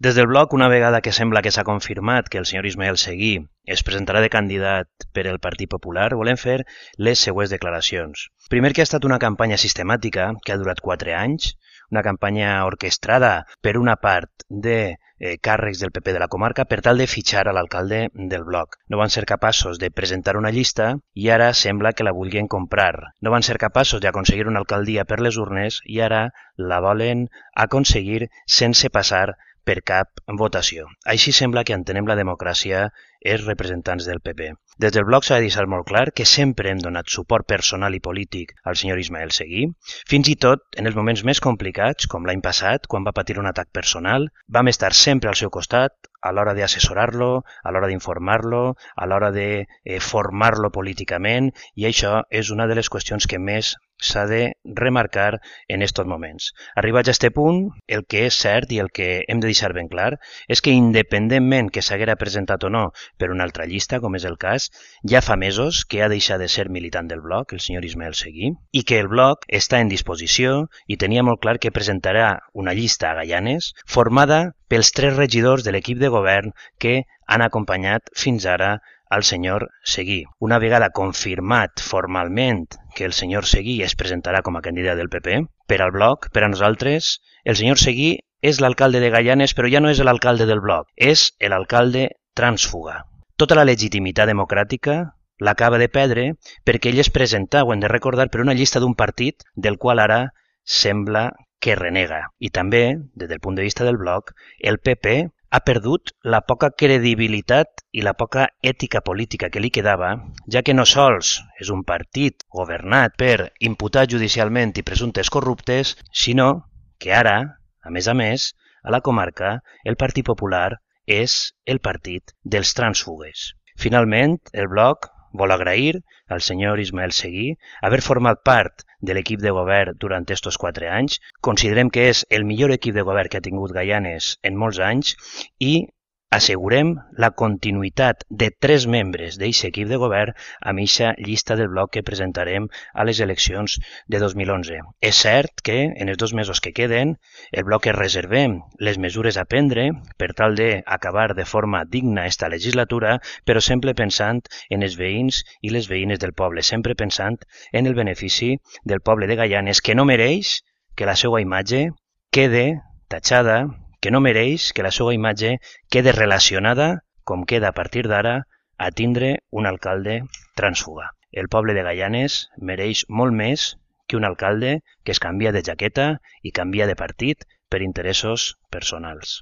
Des del bloc, una vegada que sembla que s'ha confirmat que el senyor Ismael Seguí es presentarà de candidat per el Partit Popular, volem fer les següents declaracions. Primer, que ha estat una campanya sistemàtica que ha durat 4 anys, una campanya orquestrada per una part de càrrecs del PP de la comarca per tal de fitxar a l'alcalde del bloc. No van ser capaços de presentar una llista i ara sembla que la vulguin comprar. No van ser capaços d'aconseguir una alcaldia per les urnes i ara la volen aconseguir sense passar per cap votació. Així sembla que entenem la democràcia els representants del PP. Des del bloc s'ha de deixar molt clar que sempre hem donat suport personal i polític al senyor Ismael Seguí, fins i tot en els moments més complicats, com l'any passat, quan va patir un atac personal, vam estar sempre al seu costat a l'hora d'assessorar-lo, a l'hora d'informar-lo, a l'hora de formar-lo políticament, i això és una de les qüestions que més s'ha de remarcar en aquests moments. Arribats a aquest punt, el que és cert i el que hem de deixar ben clar és que independentment que s'haguera presentat o no per una altra llista, com és el cas, ja fa mesos que ha deixat de ser militant del bloc, el senyor Ismael Seguí, i que el bloc està en disposició i tenia molt clar que presentarà una llista a Gaianes formada pels 3 regidors de l'equip de govern que han acompanyat fins ara al senyor Seguí. Una vegada confirmat formalment que el senyor Seguí es presentarà com a candidat del PP, per al bloc, per a nosaltres, el senyor Seguí és l'alcalde de Gaianes, però ja no és l'alcalde del bloc, és l'alcalde trànsfuga. Tota la legitimitat democràtica l'acaba de perdre perquè ell es presenta, ho hem de recordar, per una llista d'un partit del qual ara sembla que renega. I també, des del punt de vista del bloc, el PP ha perdut la poca credibilitat i la poca ètica política que li quedava, ja que no sols és un partit governat per imputats judicialment i presumptes corruptes, sinó que ara, a més, a la comarca, el Partit Popular és el partit dels trànsfugues. Finalment, el bloc vol agrair al senyor Ismael Seguí haver format part de l'equip de govern durant aquests 4 anys. Considerem que és el millor equip de govern que ha tingut Gaianes en molts anys i assegurem la continuïtat de 3 membres d'aquest equip de govern amb aquesta llista del bloc que presentarem a les eleccions de 2011. És cert que en els 2 mesos que queden el bloc es reservem les mesures a prendre per tal d'acabar de forma digna esta legislatura, però sempre pensant en els veïns i les veïnes del poble, sempre pensant en el benefici del poble de Gaianes, que no mereix que la seva imatge quede tatxada, que no mereix que la seva imatge quede relacionada, com queda a partir d'ara, a tindre un alcalde trànsfuga. El poble de Gaianes mereix molt més que un alcalde que es canvia de jaqueta i canvia de partit per interessos personals.